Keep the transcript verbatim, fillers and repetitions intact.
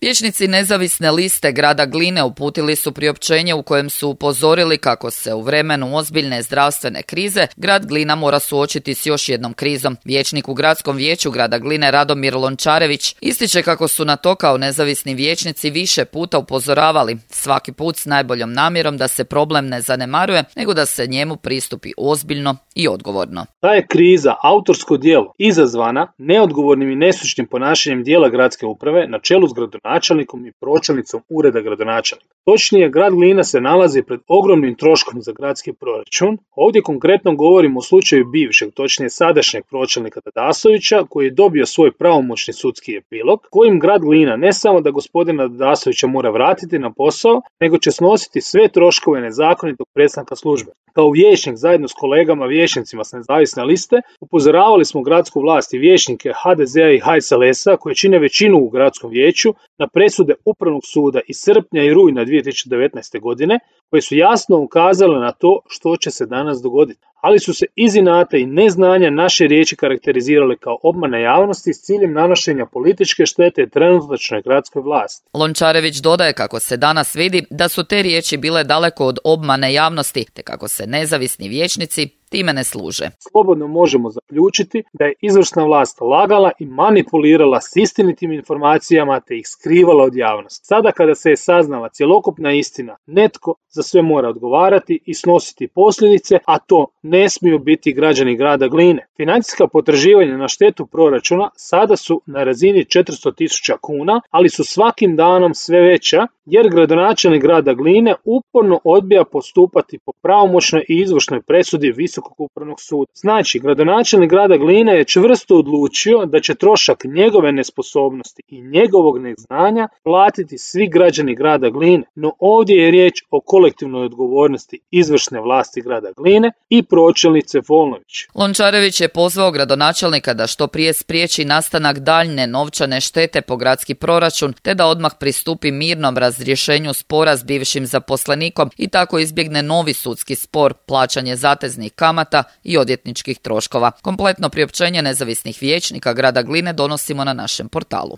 Vijećnici nezavisne liste grada Gline uputili su priopćenje u kojem su upozorili kako se u vremenu ozbiljne zdravstvene krize grad Glina mora suočiti s još jednom krizom. Vijećnik u gradskom vijeću grada Gline Radomir Lončarević ističe kako su na to kao nezavisni vijećnici više puta upozoravali, svaki put s najboljom namjerom da se problem ne zanemaruje, nego da se njemu pristupi ozbiljno i odgovorno. Ta je kriza autorsko djelo izazvana neodgovornim i nestručnim ponašanjem dijela gradske uprave na čelu s gradonačelnikom i pročelnicom ureda gradonačelnika. Točnije, grad Glina se nalazi pred ogromnim troškom za gradski proračun. Ovdje konkretno govorimo o slučaju bivšeg, točnije sadašnjeg pročelnika Dadasovića, koji je dobio svoj pravomoćni sudski epilog, kojim grad Glina ne samo da gospodina Dadasovića mora vratiti na posao, nego će snositi sve troškove nezakonitog prestanka službe. Kao vijećnik zajedno s kolegama vijećnicima s nezavisne liste upozoravali smo gradsku vlast i vijećnike ha de zea i ha es el esa koji čine većinu u gradskom vijeću na presude Upravnog suda iz srpnja i rujna dvije tisuće devetnaeste. godine koje su jasno ukazale na to što će se danas dogoditi. Ali su se iz inata i neznanja naše riječi karakterizirale kao obmana javnosti s ciljem nanošenja političke štete trenutačnoj gradskoj vlasti. Lončarević dodaje kako se danas vidi da su te riječi bile daleko od obmane javnosti, te kako se nezavisni vijećnici time ne služe. Slobodno možemo zaključiti da je izvršna vlast lagala i manipulirala s istinitim informacijama te ih skrivala od javnosti. Sada kada se je saznala cjelokupna istina, netko za sve mora odgovarati i snositi posljedice, a to ne smiju biti građani grada Gline. Financijska potraživanja na štetu proračuna sada su na razini četiristo tisuća kuna, ali su svakim danom sve veća jer gradonačelnik grada Gline uporno odbija postupati po pravomoćnoj i izvršnoj presudi Visokog upravnog suda. Znači, gradonačelnik grada Gline je čvrsto odlučio da će trošak njegove nesposobnosti i njegovog neznanja platiti svi građani grada Gline, no ovdje je riječ o kolektivnoj odgovornosti izvršne vlasti grada Gline i pročelnice Volnović. Lončarević je pozvao gradonačelnika da što prije spriječi nastanak daljne novčane štete po gradski proračun, te da odmah pristupi mirnom razrješenju spora s bivšim zaposlenikom i tako izbjegne novi sudski spor, plaćanje zateznih kamata i odvjetničkih troškova. Kompletno priopćenje nezavisnih vijećnika grada Gline donosimo na našem portalu.